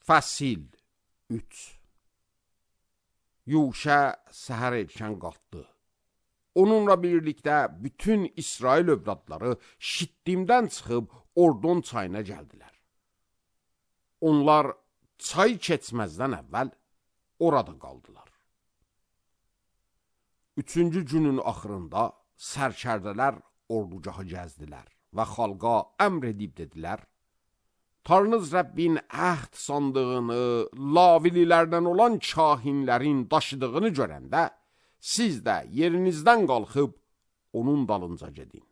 Fəsil 3. Yuşə səhər erkən qalxdı. Onunla birlikdə bütün İsrail övladları Şittimdən çıxıb Ordon çayına gəldilər. Onlar çay keçməzdən əvvəl orada qaldılar. 3-cü günün axırında sərkərdələr ordugahı gəzdilər və xalqa əmr edib dedilər: Tanrınız Rəbbin əhd sandığını, lavililərdən olan kahinlərin daşıdığını görəndə, siz də yerinizdən qalxıb onun dalınca gedin.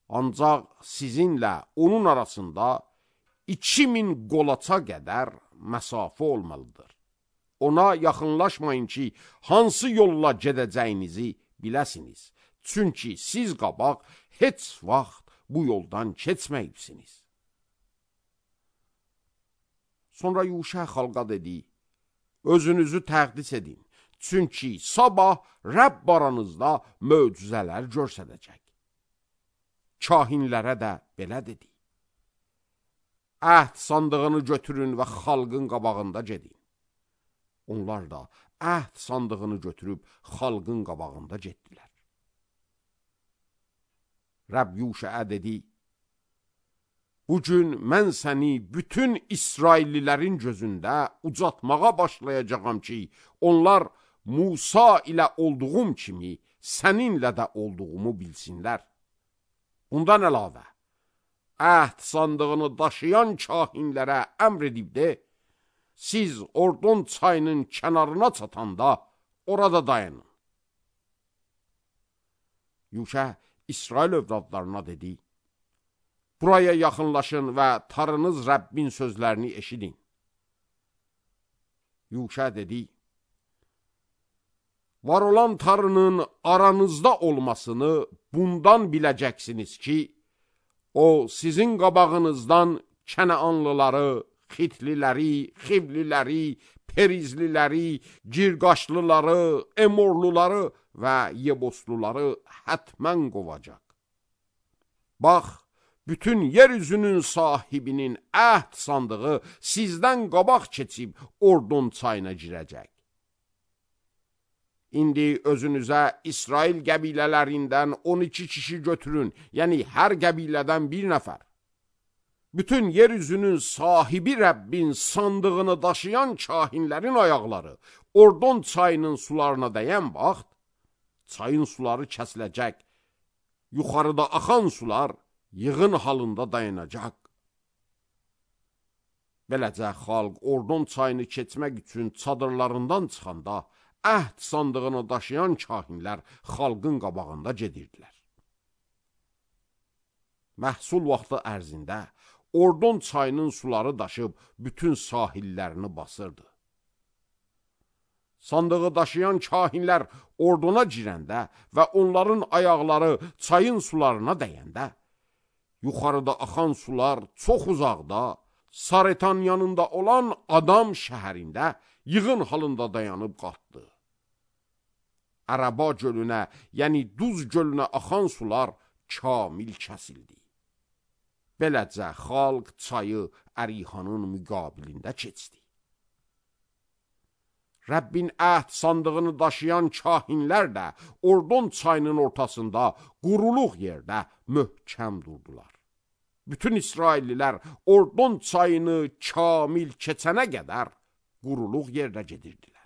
Ancaq sizinlə onun arasında 2000 qolaça qədər məsafə olmalıdır. Ona yaxınlaşmayın ki, hansı yolla gedəcəyinizi biləsiniz. Çünki siz qabaq heç vaxt bu yoldan keçməyibsiniz. Sonra Yuşə xalqa dedi: Özünüzü təqdis edin. Çünki sabah Rəbb aranızda möcüzələr göstərəcək. Kahinlərə də belə dedi: Əhd sandığını götürün və xalqın qabağında gedin. Onlar da əhd sandığını götürüb xalqın qabağında getdilər. Rəbb Yuşəyə dedi: Bugün mən səni bütün İsraillilərin gözündə ucatmağa başlayacağam ki, onlar Musa ilə olduğum kimi səninlə də olduğumu bilsinlər. Bundan əlavə, əhd sandığını daşıyan kahinlərə əmr edib de, siz Ordon çayının kənarına çatanda orada dayanın. Yuşə İsrail övladlarına dedi: Buraya yaxınlaşın və Tanrınız Rəbbin sözlərini eşidin. Yuşə dedi: Var olan Tanrının aranızda olmasını bundan biləcəksiniz ki, o sizin qabağınızdan Kənaanlıları, Xitliləri, Xivliləri, Perizliləri, Girqaşlıları, Emorluları və Yebosluları hətmən qovacaq. Bax, bütün yeryüzünün sahibinin əhd sandığı sizdən qabaq keçib Ordon çayına girəcək. İndi özünüzə İsrail qəbilələrindən 12 kişi götürün, yəni hər qəbilədən bir nəfər. Bütün yeryüzünün sahibi Rəbbin sandığını daşıyan kahinlərin ayaqları Ordon çayının sularına dəyən vaxt, çayın suları kəsiləcək, yuxarıda axan sular yığın halında dayanacaq. Beləcə xalq Ordon çayını keçmək üçün çadırlarından çıxanda, əhd sandığını daşıyan kahinlər xalqın qabağında gedirdilər. Məhsul vaxtı ərzində Ordon çayının suları daşıb bütün sahillərini basırdı. Sandığı daşıyan kahinlər Ordona girəndə və onların ayaqları çayın sularına dəyəndə, yuxarıda axan sular çox uzaqda, Saretan yanında olan Adam şəhərində yığın halında dayanıb qalxdı. Ərəba gölünə, yəni Duz gölünə axan sular kamil kəsildi. Beləcə xalq çayı Ərihanın müqabilində keçdi. Rəbbin əhd sandığını daşıyan kahinlər də Ordon çayının ortasında quruluq yerdə möhkəm durdular. Bütün İsraillilər Ordon çayını kamil keçənə qədər quruluq yerdə gedirdilər.